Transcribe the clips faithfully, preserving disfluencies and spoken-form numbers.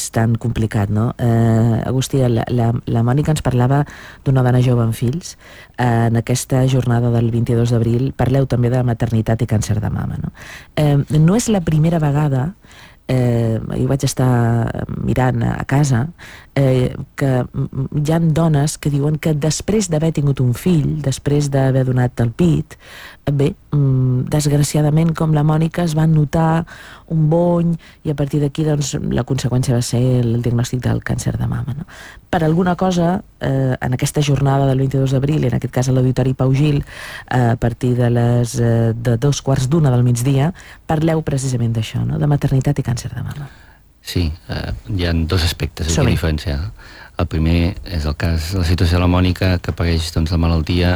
és tan complicat, no? Eh, Agustí, la, la, la Mònica ens parlava d'una dona jove amb fills. Eh, en aquesta jornada del vint-i-dos d'abril parleu també de maternitat i càncer de mama, no? Eh, no és la primera vegada, eh, jo vaig estar mirant a casa, eh, que hi ha dones que diuen que després d'haver tingut un fill, després d'haver donat el pit, bé, desgraciadament, com la Mònica, es va notar un bony i a partir d'aquí doncs, la conseqüència va ser el diagnòstic del càncer de mama, no? Per alguna cosa, eh, en aquesta jornada del vint-i-dos d'abril, en aquest cas a l'Auditori Pau Gil, eh, a partir de les eh, de dos quarts d'una del migdia, parleu precisament d'això, no? De maternitat i càncer de mama. Sí, eh, hi ha dos aspectes aquí a diferenciar. El primer és el cas de la situació de la Mònica, que apareix doncs, la malaltia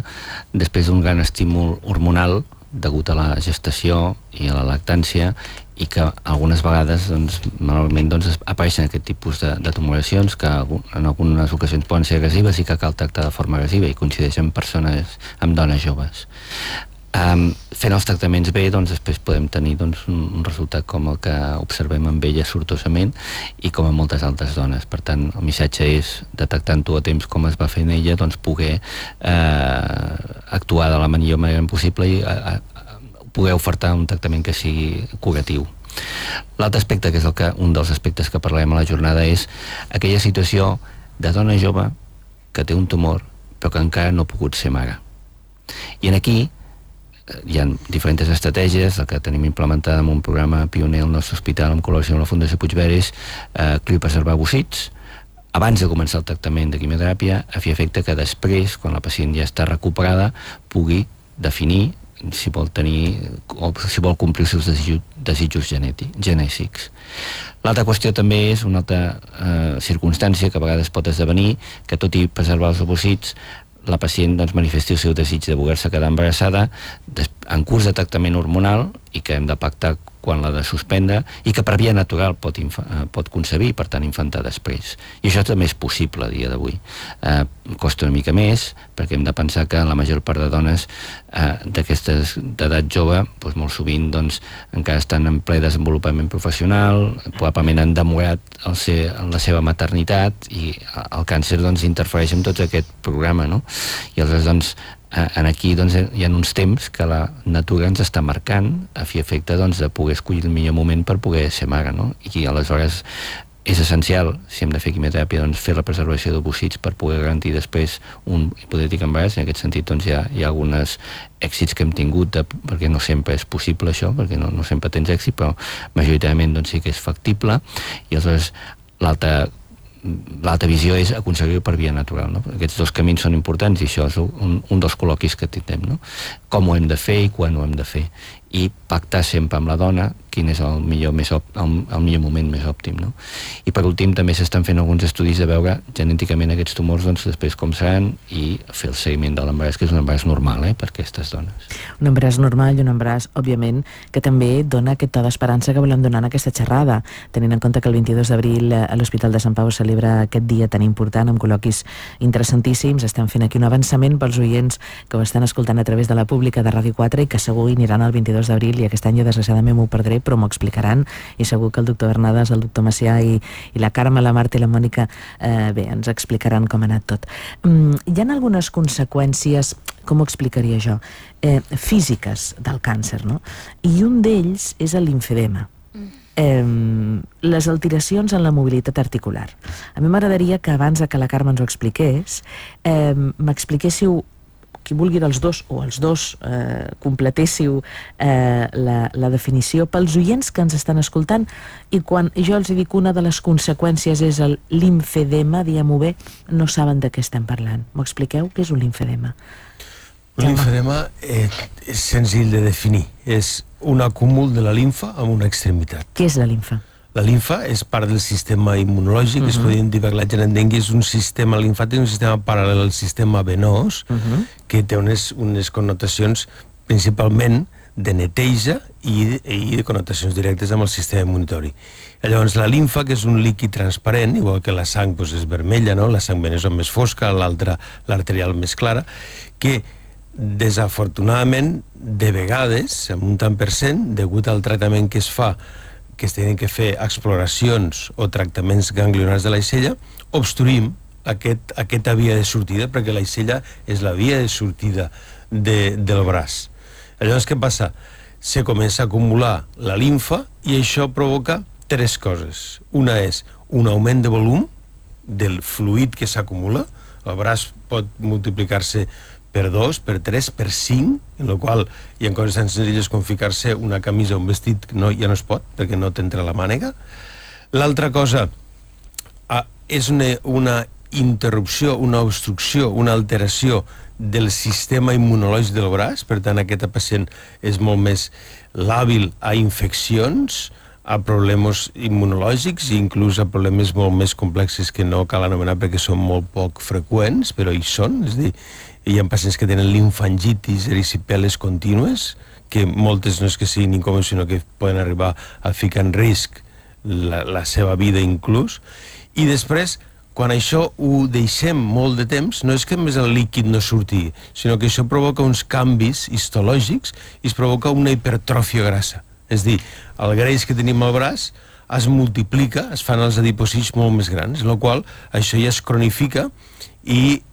després d'un gran estímul hormonal degut a la gestació i a la lactància, i que algunes vegades doncs, normalment doncs, apareixen aquest tipus de, de tumoracions que en algunes ocasions poden ser agressives i que cal tractar de forma agressiva i coincideixen amb persones, amb dones joves. Um, fent els tractaments bé, doncs després podem tenir doncs, un, un resultat com el que observem amb ella sortosament i com en moltes altres dones. Per tant, el missatge és, detectant-ho a temps com es va fer en ella, doncs poder eh, actuar de la millor manera possible i eh, poder ofertar un tractament que sigui curatiu. L'altre aspecte, que és el que, un dels aspectes que parlem a la jornada, és aquella situació de dona jove que té un tumor però que encara no ha pogut ser mare. I en aquí hi ha diferents estratègies, la que tenim implementada en un programa pioner al nostre hospital en col·laboració amb la Fundació Puigveres, eh, criopreservar ovocits, abans de començar el tractament de quimioteràpia, a fi efecte que després, quan la pacient ja està recuperada, pugui definir si vol tenir o si vol complir els seus desitjos, desitjos genètics. L'altra qüestió també és una altra eh, circumstància que a vegades pot esdevenir, que tot i preservar els ovocits, la pacient doncs, manifesti el seu desig de voler-se quedar embarassada en curs de tractament hormonal i que hem de pactar quan l'ha de suspendre i que per via natural pot, pot concebir, per tant infantar després. I això també és possible a dia d'avui. Eh, costa una mica més perquè hem de pensar que la major part de dones eh, d'aquestes d'edat jove doncs, molt sovint doncs, encara estan en ple desenvolupament professional, probablement han demorat el ser, la seva maternitat i el càncer doncs, interfereix en tot aquest programa, no? I aleshores doncs en aquí doncs, hi ha uns temps que la natura ens està marcant a fi efecte doncs, de poder escollir el millor moment per poder ser mare, no? I aleshores és essencial, si hem de fer quimioteràpia, doncs, fer la preservació d'ovocits per poder garantir després un hipotètic embaràs. En aquest sentit doncs, hi ha, hi ha alguns èxits que hem tingut, de, perquè no sempre és possible això, perquè no, no sempre tens èxit, però majoritàriament doncs, sí que és factible. I aleshores l'altra L'altra visió és aconseguir-ho per via natural, no? Aquests dos camins són importants i això és un, un dels col·loquis que tindrem, no? Com ho hem de fer i quan ho hem de fer. I pactar sempre amb la dona quin és el millor, més el, el millor moment més òptim, no? I per últim també s'estan fent alguns estudis de veure genèticament aquests tumors doncs, després com seran i fer el seguiment de l'embaràs, que és un embaràs normal eh, per aquestes dones. Un embaràs normal i un embaràs, òbviament, que també dona aquest to d'esperança que volem donar en aquesta xerrada, tenint en compte que el vint-i-dos d'abril a l'Hospital de Sant Pau celebra aquest dia tan important amb col·loquis interessantíssims. Estem fent aquí un avançament pels oients que ho estan escoltant a través de la pública de Ràdio quatre i que segur aniran el vint-i-dos d'abril i aquest any jo desgraciadament m'ho perdré, però m'ho explicaran i segur que el doctor Bernades, el doctor Macià i, i la Carme, la Marta i la Mònica eh, bé, ens explicaran com ha anat tot. Mm, hi ha algunes conseqüències, com ho explicaria jo, eh, físiques del càncer, no? I un d'ells és el limfedema. Eh, les alteracions en la mobilitat articular. A mi m'agradaria que abans que la Carme ens ho expliqués, eh, m'expliquéssiu, qui vulgui dels dos o els dos eh, completéssiu eh, la, la definició pels oients que ens estan escoltant, i quan jo els dic una de les conseqüències és el limfedema, diguem-ho bé, no saben de què estem parlant. M'ho expliqueu? Què és un limfedema? Un limfedema eh, és senzill de definir, és un acúmul de la limfa en una extremitat. Què és la limfa? La limfa és part del sistema immunològic, uh-huh. es podria dir perquè la gent entengui, és un sistema limfàtic, un sistema paral·lel al sistema venós, uh-huh. que té unes, unes connotacions principalment de neteja i de, i de connotacions directes amb el sistema immunitori. Llavors, la limfa, que és un líquid transparent, igual que la sang doncs, és vermella, no? La sang venosa més fosca, l'altra, l'arterial més clara, que desafortunadament, de vegades, en un tant per cent, degut al tractament que es fa, que es tenen que fer exploracions o tractaments ganglionars de l'aixella, obstruïm aquest, aquesta via de sortida, perquè l'aixella és la via de sortida de, del braç. Llavors, què passa? Se comença a acumular la limfa i això provoca tres coses. Una és un augment de volum del fluid que s'acumula. El braç pot multiplicar-se per dos, per tres, per cinc, en la qual hi ha coses tan senzilles com ficar-se una camisa o un vestit que no, ja no es pot, perquè no t'entra la mànega. L'altra cosa ah, és una, una interrupció, una obstrucció, una alteració del sistema immunològic del braç, per tant aquest pacient és molt més làbil a infeccions, a problemes immunològics i inclús a problemes molt més complexes que no cal anomenar perquè són molt poc freqüents, però hi són, és a dir, hi ha pacients que tenen linfangitis, ericipeles contínues, que moltes no és que siguin incòmodes, sinó que poden arribar a ficar en risc la, la seva vida inclús. I després, quan això ho deixem molt de temps, no és que més el líquid no surti, sinó que això provoca uns canvis histològics i es provoca una hipertròfia grassa. És a dir, el greix que tenim al braç es multiplica, es fan els adipocits molt més grans, en la qual això ja es cronifica i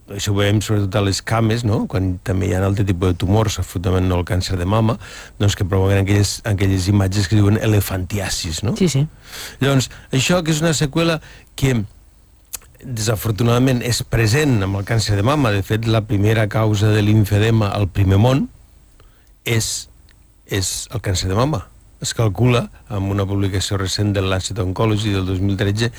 això ho veiem sobretot a les cames, no? Quan també hi ha altre tipus de tumors, absolutament no el càncer de mama, doncs que provoquen aquelles, aquelles imatges que diuen elefantiasis, no? Sí, sí. Llavors, això que és una seqüela que desafortunadament és present amb el càncer de mama. De fet, la primera causa de limfedema al primer món és, és el càncer de mama. Es calcula, amb una publicació recent del Lancet Oncology del dos mil tretze,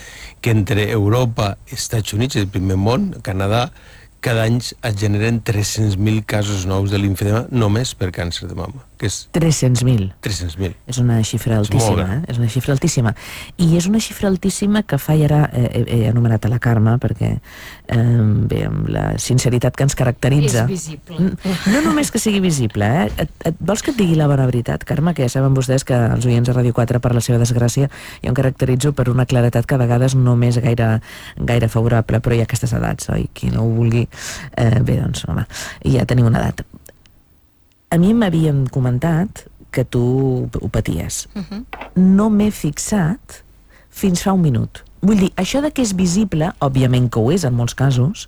que entre Europa, Estats Units i el primer món, Canadà, cada any es generen tres-cents mil casos nous de limfedema només per càncer de mama. Que és tres-cents mil. tres-cents mil. És una xifra altíssima, eh? És una xifra altíssima. I és una xifra altíssima que fa, i ara eh, he anomenat a la Carme, perquè eh, bé, amb la sinceritat que ens caracteritza... És visible. No només que sigui visible, eh? Et, et, vols que et digui la bona veritat, Carme? Que ja saben vostès que els oients de Ràdio quatre, per la seva desgràcia, jo em caracteritzo per una claretat que a vegades no m'és gaire, gaire favorable, però hi ha aquestes edats, oi? Qui no ho vulgui... Eh, bé, doncs, home, ja teniu una edat. A mi m'havien comentat que tu ho paties. Uh-huh. No m'he fixat fins fa un minut. Vull dir, això de que és visible, òbviament que ho és en molts casos,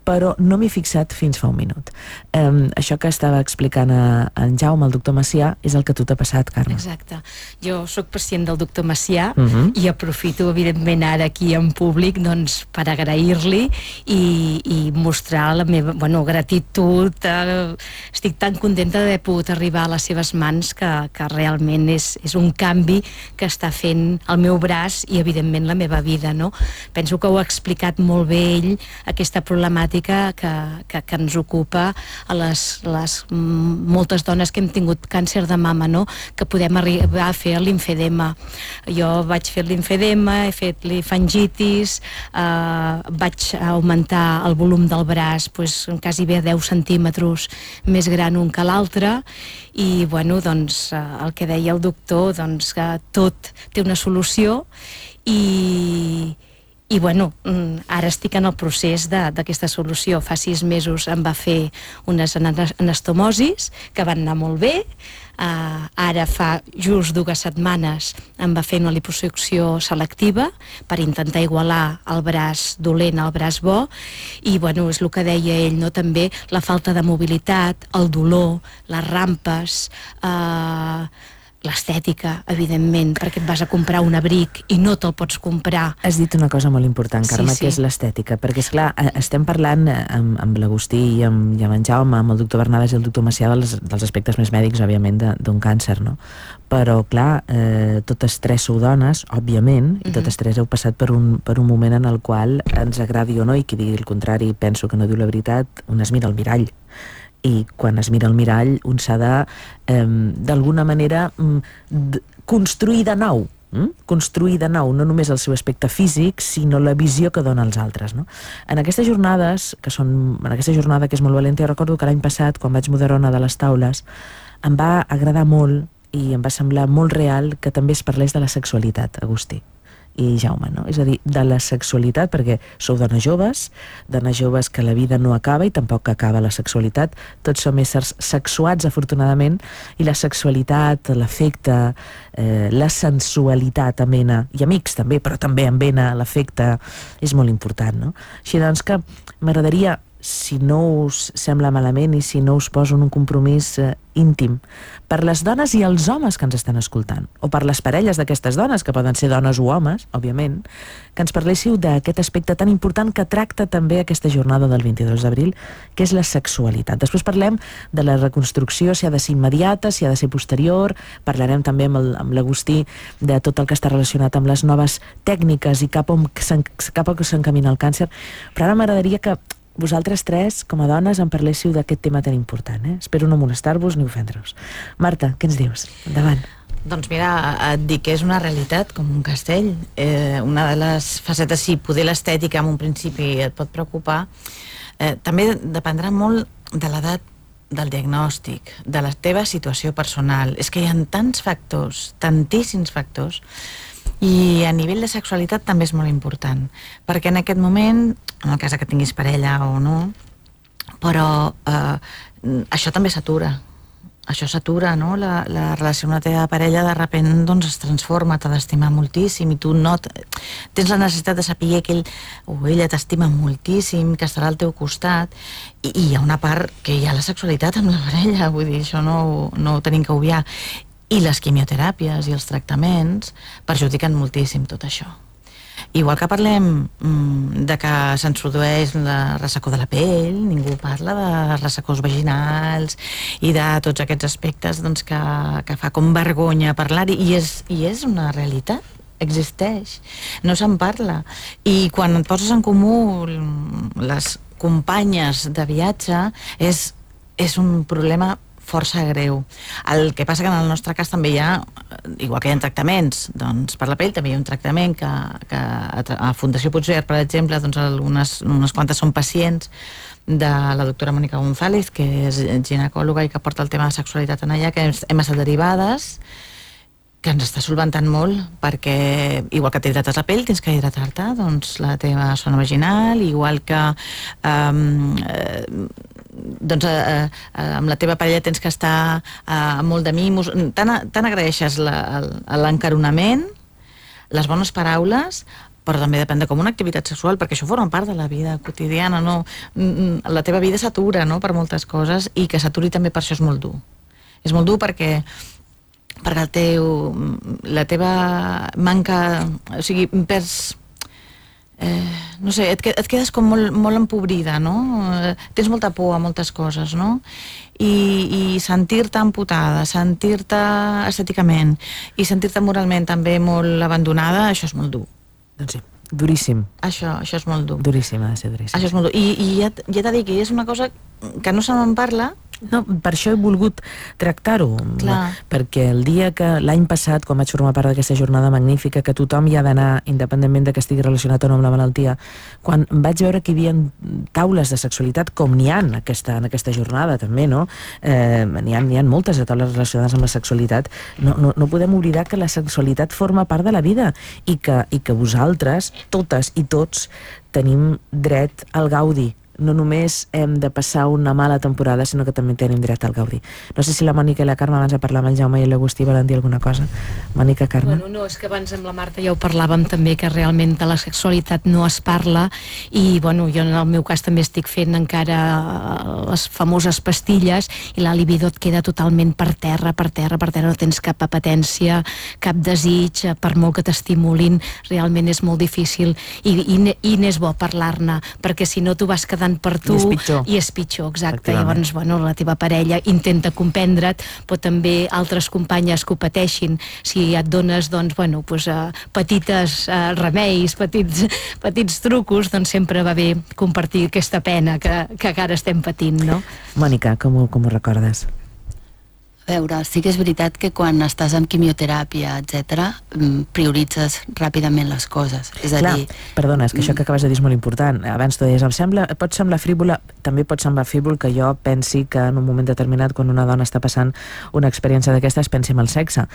però no m'he fixat fins fa un minut. Um, això que estava explicant a, a en Jaume, el doctor Macià, és el que a tu t'ha passat, Carme. Exacte. Jo sóc pacient del doctor Macià uh-huh. i aprofito, evidentment, ara aquí en públic doncs, per agrair-li i, i mostrar la meva bueno, gratitud. Eh, estic tan contenta d'haver pogut arribar a les seves mans que, que realment és, és un canvi que està fent el meu braç i, evidentment, la meva vida. No? Penso que ho ha explicat molt bé ell, aquesta problemàtica que, que, que ens ocupa a les, les moltes dones que hem tingut càncer de mama, no? Que podem arribar a fer l'limfedema. Jo vaig fer l'limfedema, he fet linfangitis, eh, vaig augmentar el volum del braç pues, quasi bé deu centímetres més gran un que l'altre i bueno, doncs, eh, el que deia el doctor, doncs, que tot té una solució i i bueno, ara estic en el procés d'aquesta solució. Fa sis mesos em va fer unes anastomosis que van anar molt bé. Uh, ara fa just dues setmanes em va fer una liposucció selectiva per intentar igualar el braç dolent al braç bo i bueno, és el que deia ell, no? També la falta de mobilitat, el dolor, les rampes, uh, l'estètica, evidentment, perquè et vas a comprar un abric i no te'l pots comprar. Has dit una cosa molt important, Carme, sí, sí. que és l'estètica, perquè, esclar, estem parlant amb, amb l'Agustí i amb, i amb en Jaume, amb el doctor Bernades i el doctor Macià dels, dels aspectes més mèdics, òbviament, d'un càncer, no? Però, clar, eh, totes tres sou dones, òbviament, i totes tres heu passat per un, per un moment en el qual ens agradi o no, i qui digui el contrari penso que no diu la veritat, un es mira al mirall. I quan es mira al mirall un s'ha de, eh, d'alguna manera, de, construir de nou, eh? construir de nou, no només el seu aspecte físic, sinó la visió que dona als altres. No? En aquestes jornades, que són, en aquesta jornada que és molt valenta, jo recordo que l'any passat, quan vaig moderar una de les taules, em va agradar molt i em va semblar molt real que també es parlés de la sexualitat, Agustí. i Jaume, no? És a dir, de la sexualitat, perquè sou dones joves, dones joves que la vida no acaba i tampoc acaba la sexualitat, tots som éssers sexuats, afortunadament, i la sexualitat, l'afecte, eh, la sensualitat amena, i amics també, però també amena l'afecte, és molt important, no? Així doncs que m'agradaria, si no us sembla malament i si no us poso en un compromís eh, íntim, per les dones i els homes que ens estan escoltant, o per les parelles d'aquestes dones, que poden ser dones o homes, òbviament, que ens parléssiu d'aquest aspecte tan important que tracta també aquesta jornada del vint-i-dos d'abril, que és la sexualitat. Després parlem de la reconstrucció, si ha de ser immediata, si ha de ser posterior, parlarem també amb, el, amb l'Agustí de tot el que està relacionat amb les noves tècniques i cap on cap on s'encamina el càncer, però ara m'agradaria que vosaltres tres, com a dones, en parléssiu d'aquest tema tan important. Eh? Espero no molestar-vos ni ofendre-vos. Marta, què ens dius? Endavant. Doncs mira, et dic que és una realitat, com un castell. Eh, una de les facetes, sí, poder l'estètica en un principi et pot preocupar, eh, també dependrà molt de l'edat del diagnòstic, de la teva situació personal. És que hi ha tants factors, tantíssims factors, i a nivell de sexualitat també és molt important, perquè en aquest moment, en el cas que tinguis parella o no, però eh, això també s'atura. Això s'atura, no? La, la relació amb la teva parella de sobte doncs, es transforma, t'ha d'estimar moltíssim i tu no tens la necessitat de saber que ell o ella t'estima moltíssim, que estarà al teu costat, i, i hi ha una part que hi ha la sexualitat amb la parella, vull dir, això no, no ho tenim que obviar. I les quimioteràpies i els tractaments perjudiquen moltíssim tot això. Igual que parlem mm, de que se'ns produeix la ressecó de la pell, ningú parla de ressecors vaginals i de tots aquests aspectes doncs, que, que fa com vergonya parlar-hi, i és, i és una realitat, existeix, no se'n parla. I quan et poses en comú les companyes de viatge és, és un problema força greu. El que passa que en el nostre cas també hi ha, igual que hi ha tractaments doncs per la pell, també hi ha un tractament que, que a Fundació Puigverd, per exemple, doncs algunes, unes quantes són pacients de la doctora Mònica González, que és ginecòloga i que porta el tema de sexualitat en allà, que hem estat derivades, que ens està solventant molt, perquè igual que t'hidrates la pell, tens que hidratar-te doncs la teva zona vaginal, igual que um, eh, doncs eh, eh, amb la teva parella tens que estar eh, molt de mimos, tant, tant agraeixes l'encaronament, les bones paraules, però també depèn de com una activitat sexual, perquè això forma part de la vida quotidiana, no? La teva vida s'atura, no?, per moltes coses, i que s'aturi també per això és molt dur. És molt dur perquè perquè el teu, la teva manca, o sigui, perds, eh, no sé, et, et quedes com molt, molt empobrida, no? Eh, tens molta por a moltes coses, no? I, i sentir-te amputada, sentir-te estèticament i sentir-te moralment també molt abandonada, això és molt dur. Doncs sí, duríssim. Això, això és molt dur. Duríssim, ha de ser duríssim. Això és molt dur. I, i ja, ja t'ha dit que és una cosa que no se me'n parla. No, per això he volgut tractar-ho, perquè el dia que l'any passat, quan vaig formar part d'aquesta jornada magnífica, que tothom hi ha d'anar, independentment de que estigui relacionat o no amb la malaltia, quan vaig veure que hi havia taules de sexualitat, com n'hi ha en aquesta, en aquesta jornada també, no? Eh, n'hi ha, n'hi ha moltes de taules relacionades amb la sexualitat. No, no, no podem oblidar que la sexualitat forma part de la vida i que, i que vosaltres, totes i tots, tenim dret al gaudi. No només hem de passar una mala temporada, sinó que també tenim dret al gaudi. No sé si la Mònica i la Carme, abans de parlar amb el Jaume i l'Agustí, volen dir alguna cosa. Mònica, Carme? Bueno, no, és que abans amb la Marta ja ho parlàvem també, que realment de la sexualitat no es parla, i bueno, jo en el meu cas també estic fent encara les famoses pastilles, i la libido et queda totalment per terra, per terra, per terra, no tens cap apetència, cap desig, per molt que t'estimulin, realment és molt difícil, i, i, i n'és bo parlar-ne, perquè si no tu vas quedar per tu, i és pitjor, i és pitjor, exacte. Llavors, bueno, la teva parella intenta comprendre't, però també altres companyes que ho pateixin, si et dones, doncs, bueno, pues, uh, petites uh, remeis, petits, petits trucos, doncs sempre va bé compartir aquesta pena que, que ara estem patint, no? Mònica, com ho, com ho recordes? A veure, sí que és veritat que quan estàs amb quimioteràpia, etcètera, prioritzes ràpidament les coses. És a Clar, dir... perdona, és que això que acabes de dir és molt important. Abans tu deies, em sembla, pot semblar frívola, també pot semblar frívol que jo pensi que en un moment determinat, quan una dona està passant una experiència d'aquestes, pensi en el sexe.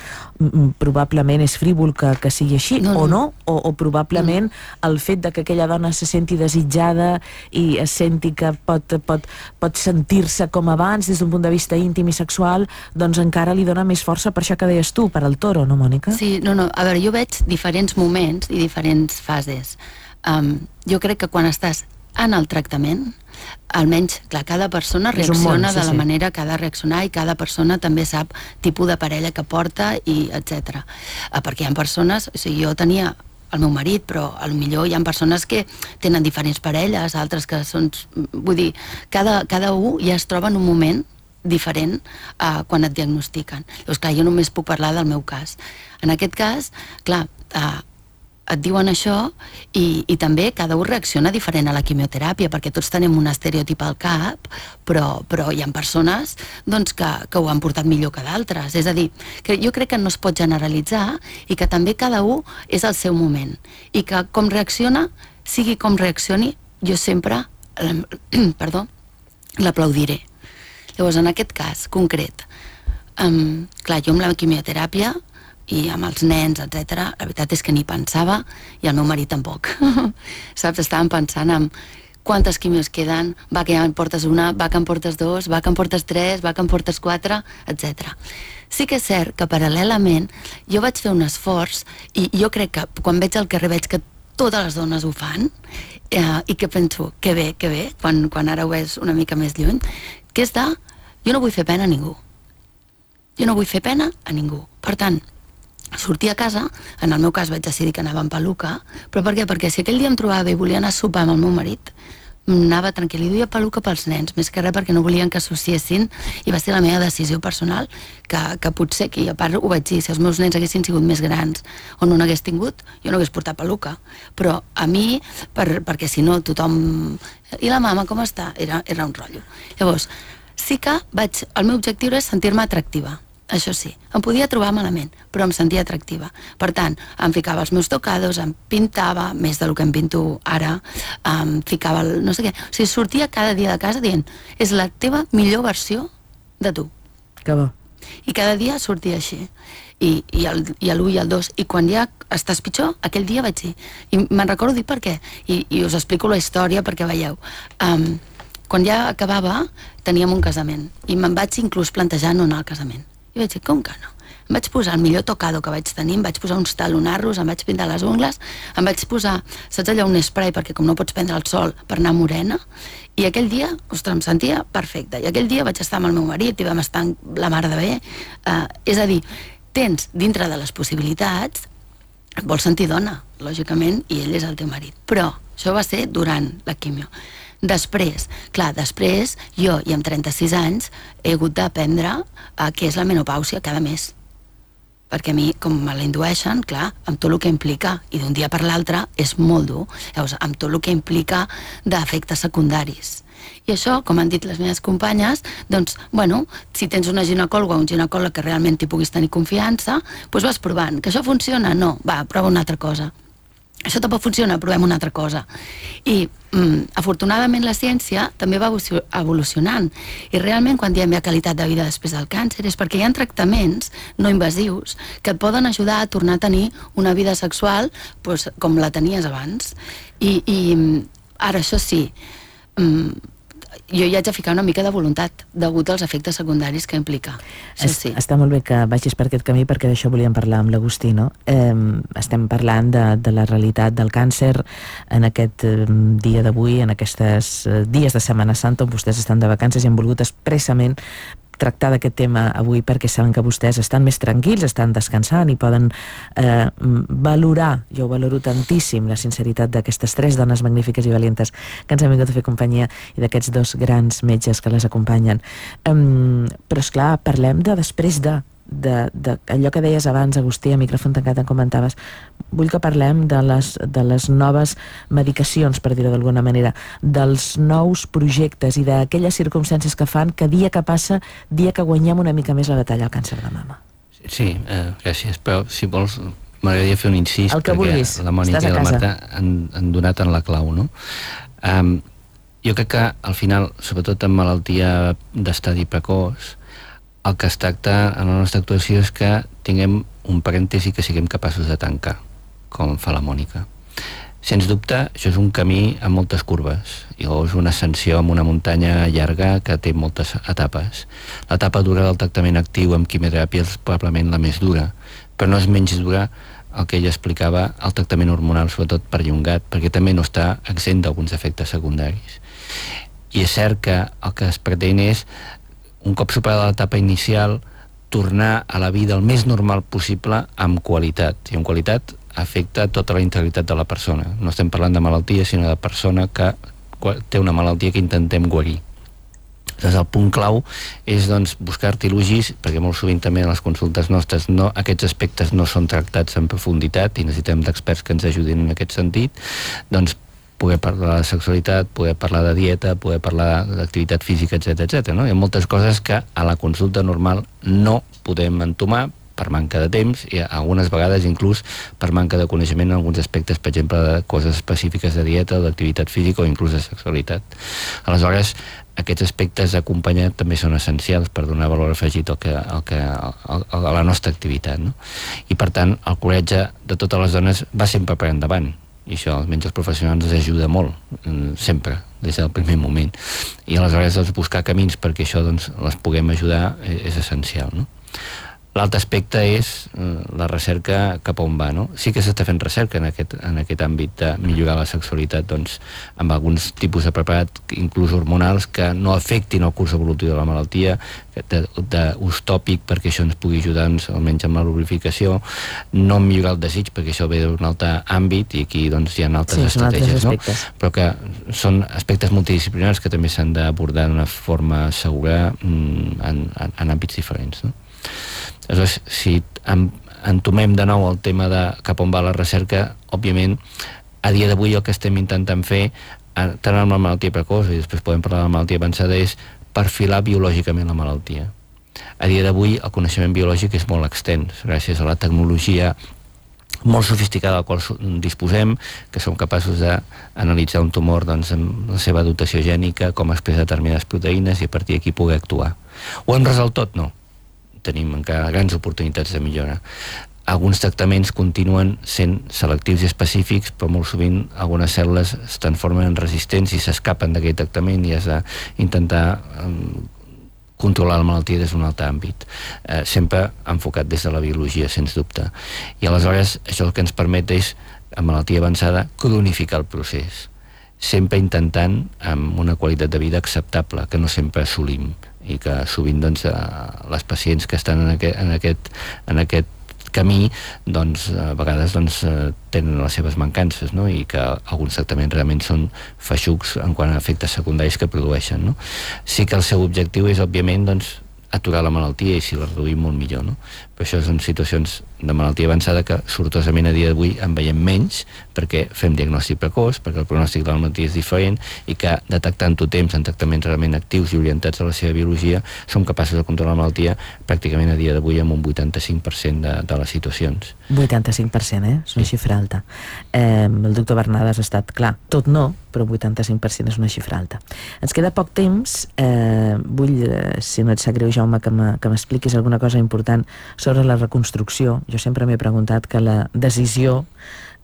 Probablement és frívol que, que sigui així, no, o no? O, o probablement no. El fet de que aquella dona se senti desitjada i es senti que pot, pot, pot sentir-se com abans des d'un punt de vista íntim i sexual, doncs encara li dona més força per això que deies tu, per al toro, no, Mònica? Sí, no, no, a veure, jo veig diferents moments i diferents fases. Um, jo crec que quan estàs en el tractament, almenys, clar, cada persona reacciona món, sí, de la sí. manera que ha de reaccionar i cada persona també sap tipus de parella que porta i etcètera. Uh, perquè hi ha persones, o sigui, jo tenia el meu marit, però potser hi ha persones que tenen diferents parelles, altres que són... Vull dir, cada, cada un ja es troba en un moment diferent uh, quan et diagnostiquen. Llavors, clar, jo només puc parlar del meu cas. En aquest cas, clar, uh, et diuen això i, i també cada un reacciona diferent a la quimioteràpia, perquè tots tenim un estereotip al cap, però, però hi ha persones doncs, que, que ho han portat millor que d'altres. És a dir, que jo crec que no es pot generalitzar i que també cada un és el seu moment. I que com reacciona, sigui com reaccioni, jo sempre, eh, perdó, l'aplaudiré. Llavors, en aquest cas concret, um, clar, jo amb la quimioteràpia i amb els nens, etcètera, la veritat és que ni pensava, i el meu marit tampoc. Saps? Estàvem pensant en quantes quimios queden, va que ja en portes una, va que en portes dos, va que en portes tres, va que en portes quatre, etcètera. Sí que és cert que paral·lelament jo vaig fer un esforç i jo crec que quan veig al carrer veig que totes les dones ho fan eh, i que penso, que bé, que bé, quan, quan ara ho veus una mica més lluny, que és de, jo no vull fer pena a ningú. Jo no vull fer pena a ningú. Per tant, sortir a casa, en el meu cas vaig decidir que anava amb peluca, però per què? Perquè si aquell dia em trobava i volia anar a sopar amb el meu marit, anava tranquil·li, duia peluca pels nens, més que res perquè no volien que associessin, i va ser la meva decisió personal, que, que potser, que a part ho vaig dir, si els meus nens haguessin sigut més grans o no n'hagués tingut, jo no hagués portat peluca, però a mi, per, perquè si no tothom... I la mama, com està? Era, era un rotllo. Llavors, sí que vaig... El meu objectiu és sentir-me atractiva. Això sí, em podia trobar malament, però em sentia atractiva. Per tant, em ficava els meus tocados, em pintava, més del que em pinto ara, em ficava el no sé què. O sigui, sortia cada dia de casa dient, és la teva millor versió de tu. Que bo. I cada dia sortia així. I, i el, i l'u i el dos. I quan ja estàs pitjor, aquell dia vaig dir. I me'n recordo dir per què. I, i us explico la història perquè veieu. Um, quan ja acabava, teníem un casament. I me'n vaig inclús plantejar no anar al casament. I vaig dir, com que no? Em vaig posar el millor tocado que vaig tenir, em vaig posar uns talonarros, em vaig pintar les ungles, em vaig posar, saps allò, un spray, perquè com no pots prendre el sol per anar morena, i aquell dia, ostres, em sentia perfecta. I aquell dia vaig estar amb el meu marit i vam estar la mar de bé. Uh, és a dir, tens dintre de les possibilitats, et vols sentir dona, lògicament, i ell és el teu marit. Però això va ser durant la quimio. Després, clar, després jo, i amb trenta-sis anys, he hagut d'aprendre uh, què és la menopàusia cada mes. Perquè a mi, com me la indueixen, clar, amb tot el que implica, i d'un dia per l'altre és molt dur, llavors, amb tot el que implica d'efectes secundaris. I això, com han dit les meves companyes, doncs, bueno, si tens una ginecòloga o un ginecòleg que realment t'hi puguis tenir confiança, doncs vas provant. Que això funciona? No, va, prova una altra cosa. Això tampoc funciona, provem una altra cosa. I, mm, afortunadament, la ciència també va evolucionant. I realment, quan diem hi ha qualitat de vida després del càncer, és perquè hi ha tractaments no invasius que et poden ajudar a tornar a tenir una vida sexual doncs, com la tenies abans. I, i ara, això sí, mm, jo hi haig de ficar una mica de voluntat degut als efectes secundaris que implica. Es, sí. Està molt bé que vagis per aquest camí, perquè d'això volíem parlar amb l'Agustí, no? Eh, estem parlant de, de la realitat del càncer en aquest eh, dia d'avui, en aquests eh, dies de Setmana Santa on vostès estan de vacances, i han volgut expressament tractar d'aquest tema avui perquè saben que vostès estan més tranquils, estan descansant i poden eh, valorar, jo ho valoro tantíssim, la sinceritat d'aquestes tres dones magnífiques i valientes que ens han vingut a fer companyia, i d'aquests dos grans metges que les acompanyen. Um, però esclar, parlem de després de d'allò que deies abans, Agustí, a micròfon tancat en comentaves, vull que parlem de les, de les noves medicacions, per dir-ho d'alguna manera, dels nous projectes i d'aquelles circumstàncies que fan que dia que passa, dia que guanyem una mica més la batalla al càncer de mama. Sí, eh, gràcies, però si vols m'agradaria fer un incís, perquè vulguis. La Mònica i la Marta han, han donat en la clau, no? Um, jo crec que al final, sobretot en malaltia d'estadi precoç, el que es tracta en la nostra actuació és que tinguem un parèntesi que siguem capaços de tancar, com fa la Mònica. Sens dubte, això és un camí amb moltes curves, i és una ascensió amb una muntanya llarga que té moltes etapes. L'etapa dura del tractament actiu amb quimioteràpia és probablement la més dura, però no és menys dura el que ella explicava, el tractament hormonal, sobretot perllongat, perquè també no està exempt d'alguns efectes secundaris. I és cert que el que es pretén és, un cop superada l'etapa inicial, tornar a la vida el més normal possible amb qualitat. I amb qualitat afecta tota la integritat de la persona. No estem parlant de malaltia, sinó de persona que té una malaltia que intentem guarir. Llavors, el punt clau és doncs, buscar artilugis, perquè molt sovint també en les consultes nostres no, aquests aspectes no són tractats en profunditat i necessitem d'experts que ens ajudin en aquest sentit, doncs poder parlar de sexualitat, poder parlar de dieta, poder parlar d'activitat física, etcètera, etcètera. No? Hi ha moltes coses que a la consulta normal no podem entomar per manca de temps i algunes vegades inclús per manca de coneixement en alguns aspectes, per exemple, de coses específiques de dieta o d'activitat física o inclús de sexualitat. Aleshores, aquests aspectes acompanyats també són essencials per donar valor afegit al que, al que, al, a la nostra activitat. No? I per tant, el coratge de totes les dones va sempre per endavant. I això, almenys els professionals, ens ajuda molt, sempre, des del primer moment. I aleshores doncs, buscar camins perquè això doncs, les puguem ajudar és essencial. No? L'altre aspecte és eh, la recerca cap a on va. No? Sí que s'està fent recerca en aquest, en aquest àmbit de millorar la sexualitat doncs, amb alguns tipus de preparat, inclús hormonals, que no afectin el curs evolutiu de la malaltia, d'ús tòpic perquè això ens pugui ajudar doncs, almenys amb la lubrificació, no millorar el desig perquè això ve d'un altre àmbit i aquí doncs, hi ha altres sí, estratègies, no? Però que són aspectes multidisciplinars que també s'han d'abordar d'una forma segura en, en, en àmbits diferents. No? Aleshores, si entomem de nou el tema de cap on va la recerca, òbviament, a dia d'avui el que estem intentant fer, tant amb la malaltia precoç, i després podem parlar de la malaltia avançada, és perfilar biològicament la malaltia. A dia d'avui el coneixement biològic és molt extens, gràcies a la tecnologia molt sofisticada a la qual disposem, que som capaços d'analitzar un tumor doncs, amb la seva dotació gènica, com expressa determinades proteïnes i a partir d'aquí poder actuar. Ho hem resolt tot? No. Tenim encara grans oportunitats de millora. Alguns tractaments continuen sent selectius i específics, però molt sovint algunes cèl·lules es transformen en resistents i s'escapen d'aquell tractament i has d'intentar um, controlar la malaltia des d'un altre àmbit, eh, sempre enfocat des de la biologia, sens dubte. I aleshores això el que ens permet és, en malaltia avançada, cronificar el procés, sempre intentant amb una qualitat de vida acceptable, que no sempre assolim, i que sovint doncs, les pacients que estan en aquest, en aquest, en aquest camí doncs, a vegades doncs, tenen les seves mancances, no? I que alguns tractaments realment són feixucs en quant a efectes secundaris que produeixen. No? Sí que el seu objectiu és, òbviament, doncs, aturar la malaltia i si la reduïm molt millor. No? Però això són situacions de malaltia avançada que sortosament a dia d'avui en veiem menys perquè fem diagnòstic precoç, perquè el pronòstic de la malaltia és diferent i que detectant-ho temps en tractaments realment actius i orientats a la seva biologia som capaços de controlar la malaltia pràcticament a dia d'avui amb un vuitanta-cinc per cent de, de les situacions. vuitanta-cinc per cent, eh? És una xifra alta. Eh, el doctor Bernades ha estat clar, tot no, però vuitanta-cinc per cent és una xifra alta. Ens queda poc temps, eh, vull, eh, si no et sap greu, Jaume, que m'expliquis alguna cosa important sobre la reconstrucció. Jo sempre m'he preguntat que la decisió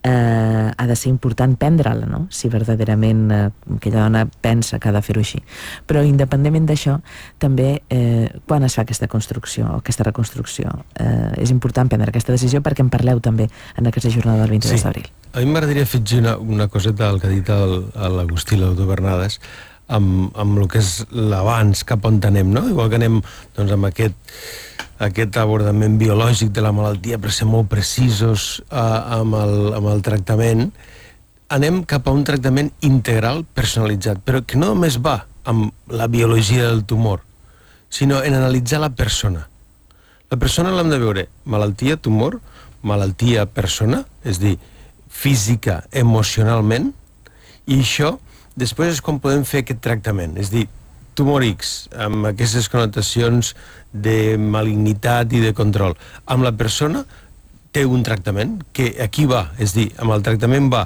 eh, ha de ser important prendre-la, no? Si verdaderament eh, aquella dona pensa que ha de fer-ho així. Però independentment d'això, també eh, quan es fa aquesta construcció o aquesta reconstrucció, eh, és important prendre aquesta decisió perquè en parleu també en aquesta jornada del vint-i-dos d'abril. A mi m'agradaria afegir una, una coseta del que ha dit l'Agustí, el doctor Bernades, amb, amb el que és l'abans, cap on anem, no? Igual que anem doncs, amb aquest, aquest abordament biològic de la malaltia per ser molt precisos eh, amb, el, amb el tractament, anem cap a un tractament integral personalitzat, però que no només va amb la biologia del tumor, sinó en analitzar la persona. La persona l'hem de veure malaltia, tumor, malaltia, persona, és dir, física, emocionalment, i això després és com podem fer aquest tractament, és dir, tumor X, amb aquestes connotacions de malignitat i de control. Amb la persona té un tractament que aquí va, és dir, amb el tractament va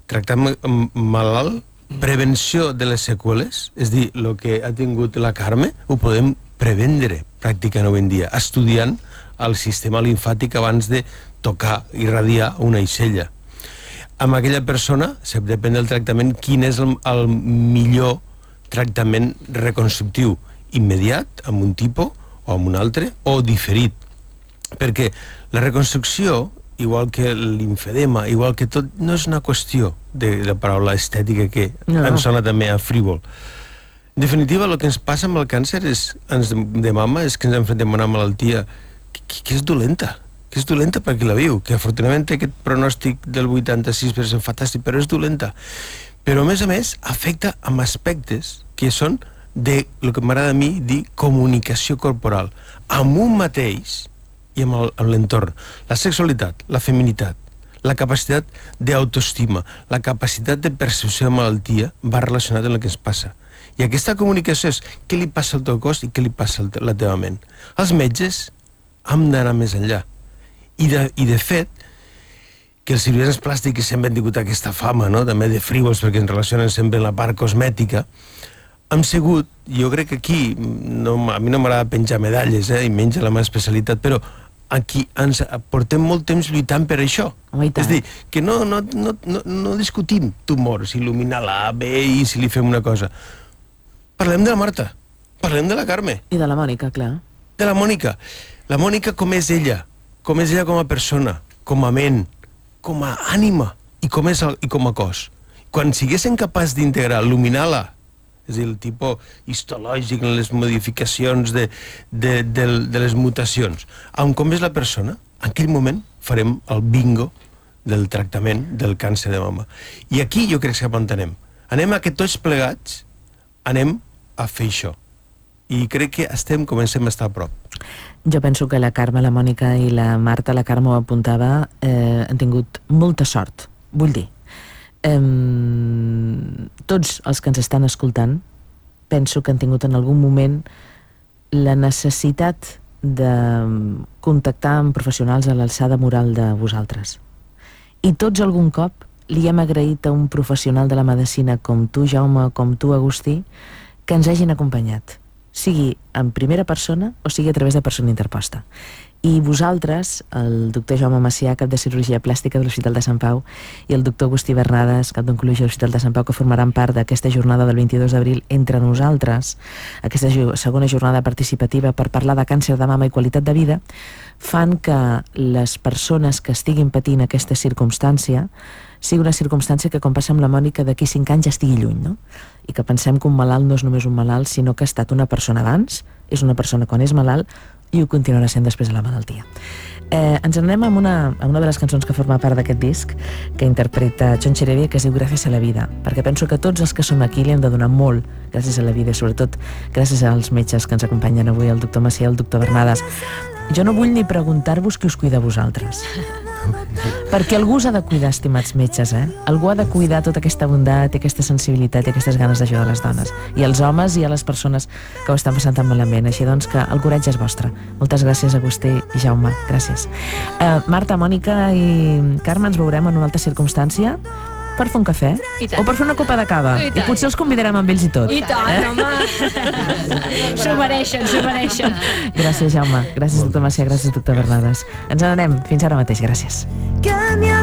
tractar malalt, prevenció de les seqüeles, és dir, el que ha tingut la Carme ho podem prevendre pràcticament avui en dia, estudiant el sistema limfàtic abans de tocar, irradiar una aixella. Amb aquella persona, depèn del tractament, quin és el, el millor tractament reconstructiu, immediat, amb un tipus o amb un altre, o diferit. Perquè la reconstrucció, igual que l'infedema, igual que tot, no és una qüestió de la paraula estètica que no. Ens sona també a frívol. En definitiva, el que ens passa amb el càncer és, ens, de mama és que ens enfrontem a una malaltia que, que és dolenta, que és dolenta per qui la viu, que afortunadament té aquest pronòstic del vuitanta-sis per cent fantàstic, però és dolenta. Però, a més a més, afecta amb aspectes que són de, el que m'agrada a mi, dir comunicació corporal, amb un mateix i amb l'entorn. La sexualitat, la feminitat, la capacitat d'autoestima, la capacitat de percepció de malaltia va relacionat amb el que ens passa. I aquesta comunicació és què li passa al teu cos i què li passa a la teva ment. Els metges hem d'anar més enllà. I de, i de fet, que els cirugians plàstics sempre han tingut aquesta fama, no? També de frívols, perquè ens relacionen sempre amb la part cosmètica, hem sigut, jo crec que aquí, no, a mi no m'agrada penjar medalles, eh, i menys la meva especialitat, però aquí ens portem molt temps lluitant per això. Oh, és dir, que no, no, no, no, no discutim tumors, il·luminar l'A, B i si li fem una cosa. Parlem de la Marta, parlem de la Carme. I de la Mònica, clar. De la Mònica. La Mònica com és ella, com és ella com a persona, com a ment, com a ànima i com, és el, i com a cos. Quan siguéssim capaç d'integrar, il·luminar-la, és a dir, el tipus histològic, les modificacions de, de, de, de les mutacions, amb com és la persona, en aquell moment farem el bingo del tractament del càncer de mama. I aquí jo crec que anem. Anem a que tots plegats anem a fer això. I crec que estem, comencem a estar a prop. Jo penso que la Carme, la Mònica i la Marta, la Carme ho apuntava, eh, han tingut molta sort, vull dir. Eh, tots els que ens estan escoltant penso que han tingut en algun moment la necessitat de contactar amb professionals a l'alçada moral de vosaltres. I tots algun cop li hem agraït a un professional de la medicina com tu, Jaume, com tu, Agustí, que ens hagin acompanyat, sigui en primera persona o sigui a través de persona interposta. I vosaltres, el doctor Jaume Macià, cap de cirurgia plàstica de l'Hospital de Sant Pau, i el doctor Agustí Bernades, cap d'oncologia de l'Hospital de Sant Pau, que formaran part d'aquesta jornada del vint-i-dos d'abril entre nosaltres, aquesta segona jornada participativa per parlar de càncer de mama i qualitat de vida, fan que les persones que estiguin patint aquesta circumstància sigui una circumstància que, com passa amb la Mònica, d'aquí cinc anys ja estigui lluny, no? I que pensem que un malalt no és només un malalt, sinó que ha estat una persona abans, és una persona quan és malalt, i ho continuarà sent després de la malaltia. Eh, ens anem amb una, amb una de les cançons que forma part d'aquest disc, que interpreta Jon Cherevia, que es diu Gràcies a la vida, perquè penso que tots els que som aquí li hem de donar molt gràcies a la vida, i sobretot gràcies als metges que ens acompanyen avui, el doctor Macià i el doctor Bernades. Jo no vull ni preguntar-vos qui us cuida a vosaltres, perquè algú us ha de cuidar, estimats metges, eh? Algú ha de cuidar tota aquesta bondat i aquesta sensibilitat i aquestes ganes d'ajudar les dones, i als homes i a les persones que ho estan passant tan malament. Així doncs que el coratge és vostre. Moltes gràcies, Agustí i Jaume, gràcies. uh, Marta, Mònica i Carme, ens veurem en una altra circumstància per fer un cafè o per fer una copa de cava, i, i potser els convidarem amb ells i tot. I tant, eh? Home! S'ho mereixen, s'ho mereixen. Gràcies, Jaume, gràcies, doctor Macià, gràcies, doctor Bernades. Ens n'anem, fins ara mateix, gràcies.